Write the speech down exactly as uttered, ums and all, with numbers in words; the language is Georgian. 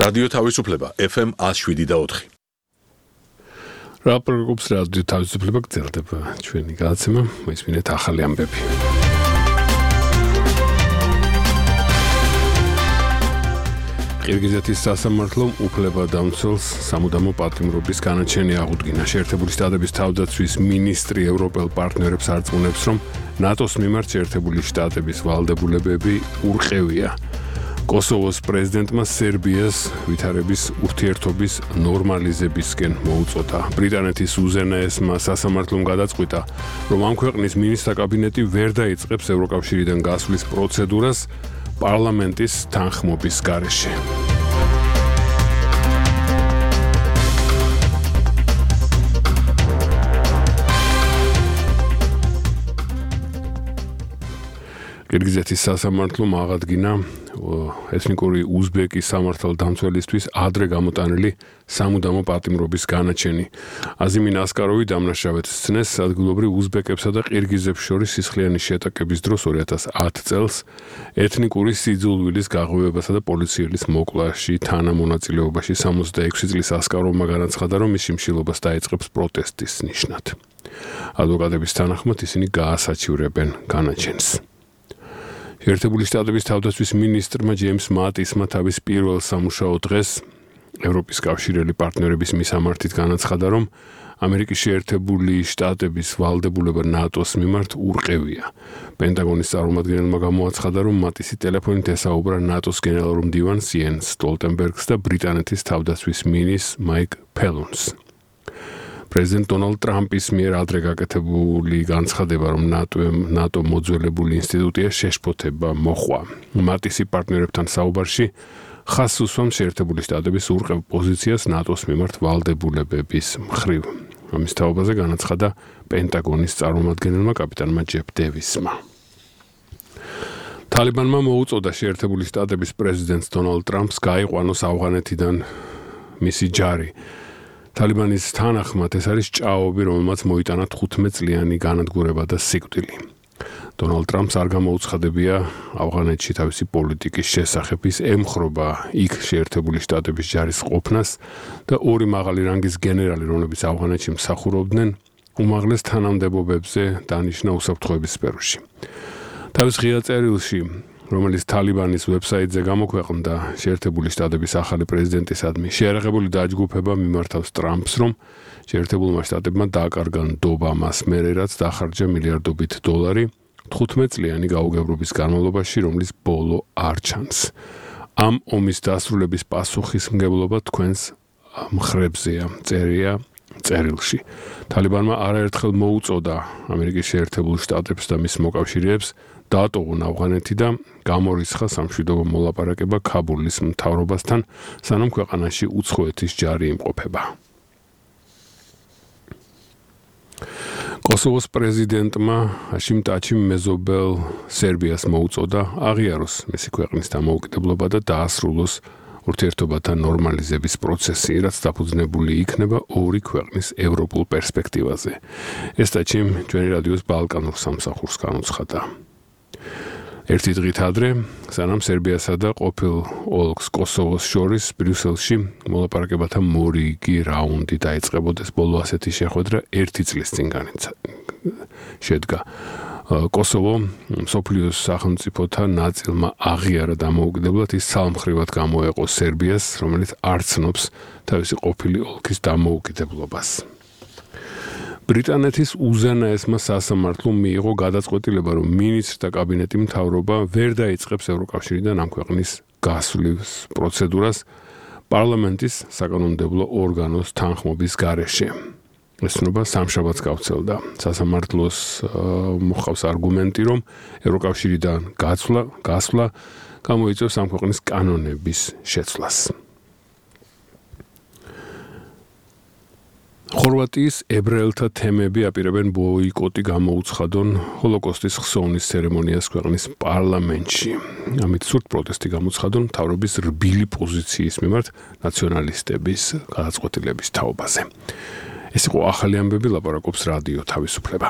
რადიო თავისუფლება F M one oh seven და four. რაპორტობს რადიო თავისუფლება გრძელდება ჩვენი გადაცემა მოისმინეთ ახალი ამბები. ყირგიზეთის სასამართლომ უფლებადამცველს სამუდამო პატიმრობის განაჩენი აღუდგინა. შეერთებული შტატების თავდაცვის მინისტრი ევროპელ პარტნიორებს არწმუნებს, რომ ნატოს მიმართ შეერთებული შტატების ვალდებულებები ურყევია. კოსოვოს პრეზიდენტმა სერბიას ვითარების ურთიერთობის ნორმალიზებისკენ მოუწოდა. ბრიტანეთის უზენაესმა სასამართლომ გადაწყვიტა, რომ ამ ქვეყნის მინისტრთა კაბინეტი ვერ დაიწყებს ევროკავშირიდან გასვლის პროცედურას პარლამენტის თანხმობის გარეშე. ყირგიზეთის სასამართლომ აღადგინა ეთნიკური უზბეკის სამართალდამცველისთვის ადრე გამოტანილი სამუდამო პატიმრობის განაჩენი. აზიმინ ასკაროვი დამნაშავედ სცნეს ადგილობრივ უზბეკებსა და ყირგიზებს შორის სისხლიანი შეტაკების დროს two thousand ten წელს ეთნიკური სიძულვილის გაღვივებასა და პოლიციელის მოკლაში თანამონაწილეობაში sixty-six წლის ასკაროვმა განაცხადა, რომ მის შიმშილობას დაიწყებს პროტესტის ნიშნად. ადვოკატების თანახმად ისინი გაასაჩივრებენ განაჩენს. შეერთებული შტატების თავდაცვის მინისტრმა ჯეიმს მატისმა თავის პირველ სამუშაო დღეს ევროპის კავშირელი პარტნიორების მისამართით განაცხადა, რომ ამერიკის შეერთებული შტატების ვალდებულება ნატოს მიმართ ურყევია. პენტაგონის წარმომადგენელმა გამოაცხადა, რომ მატისი ტელეფონით ესაუბრა ნატოს გენერალურ მდივანს იენს სტოლტენბერგს და ბრიტანეთის თავდაცვის მინისტრს მაიკ ფელონს. პრეზიდენტ დონალდ ტრამპის მიერ ადრე გაკეთებული განცხადება, რომ ნატო მოძველებული ინსტიტუტია შეშფოთება მოხვა. მატისი პარტნიორებთან საუბარში ხაზს უსვამს შეერთებული შტატების ურყევ პოზიციას ნატოს მიმართ ვალდებულებების მხრივ. ამის თაობაზე განაცხადა პენტაგონის წარმომადგენელმა კაპიტანმა ჯეფ დევისმა. თალიბანმა მოუწოდა შეერთებული შტატების პრეზიდენტს დონალდ ტრამპს გაიყვანოს ავღანეთიდან მისი ჯარი. თალიბანის თანახმად ეს არის ჭაობი, რომელმაც მოიტანა fifteen წლიანი განადგურება და სიკვდილი. დონალდ ტრამპს არ გამოუცხადებია ავღანეთში თავისი პოლიტიკის შესახებ, ის ემხრობა იქ შეერთებული შტატების ჯარის ყოფნას და ორი მაღალი რანგის გენერალი, რომლებიც ავღანეთში მსახურობდნენ, უმაღლეს თანამდებობებზე დანიშნა უსაფრთხოების სფეროში. თავის ღია წერილში, რომელიც თალიბანის ვებსაიტზე გამოქვეყნდა, შეერთებული შტატების ახალი პრეზიდენტისადმი შეერაღებული დაჯგუფება მიმართავს ტრამპს, რომ შეერთებულმა შტატებმა დააკარგა ნდობა მას მერე, რაც დახარჯა მილიარდობით დოლარი fifteen წლიანი გაუგებრობის განმავლობაში, რომლის ბოლო არ ჩანს. ამ ომის დასრულების პასუხისმგებლობა თქვენს მხრებზეა, წერია წერილში. თალიბანმა არაერთხელ მოუწოდა ამერიკის შეერთებულ შტატებს და მის მოკავშირეებს დაატოვონ ავღანეთი და გამორიცხა სამშვიდობო მოლაპარაკება ქაბულის მთავრობასთან, სანამ ქვეყანაში უცხოეთის ჯარი იმყოფება. კოსოვოს პრეზიდენტმა ჰაშიმ ტაჩიმ მეზობელ სერბიას მოუწოდა აღიაროს მისი ქვეყნის დამოუკიდებლობა და დაასრულოს ურთიერთობათა ნორმალიზების პროცესი, რაც დაფუძნებული იქნება ორი ქვეყნის ევროპულ პერსპექტივაზე. ეს ტაჩიმ ჩვენი რადიოს ბალკანურ სამსახურს განუცხადა. ერთი დღით ადრე, სანამ სერბიასა და ყოფილ ოლქს კოსოვოს შორის ბრიუსელში მოლაპარაკებათა მორიგი რაუნდი დაიწყებოდეს, ბოლო ასეთი შეხვედრა ერთი წლის წინ შედგა. კოსოვო მსოფლიოს სახელმწიფოთა ნაწილმა აღიარა დამოუკიდებლად, ის ცალმხრივად გამოეყო სერბიას, რომელიც არ ცნობს თავისი ყოფილი ოლქის დამოუკიდებლობას. ბრიტანეთის უზენაესმა სასამართლომ მიიღო გადაწყვეტილება, რომ მინისტრთა კაბინეტი მთავრობა ვერ დაიწყებს ევროკავშირიდან ამ ქვეყნის გასვლის პროცედურას პარლამენტის საკანონმდებლო ორგანოს თანხმობის გარეშე. ეს ცნობა სამშაბათს გავრცელდა. სასამართლოს მოჰყავს არგუმენტი, რომ ევროკავშირიდან გასვლა, გასვლა გამოიწვევს ამ ქვეყნის კანონების შეცვლას. ხორვატიის ებრაელთა თემები აპირებენ ბოიკოტი გამოუცხადონ ჰოლოკოსტის ხსოვნის ცერემონიას ქვეყნის პარლამენტში. ამით სურთ პროტესტი გამოუცხადონ მთავრობის რბილი პოზიციის მიმართ ნაციონალისტების გადაწყვეტილების თაობაზე. ეს იყო ახალი ამბები, ლაპარაკობს რადიო თავისუფლება.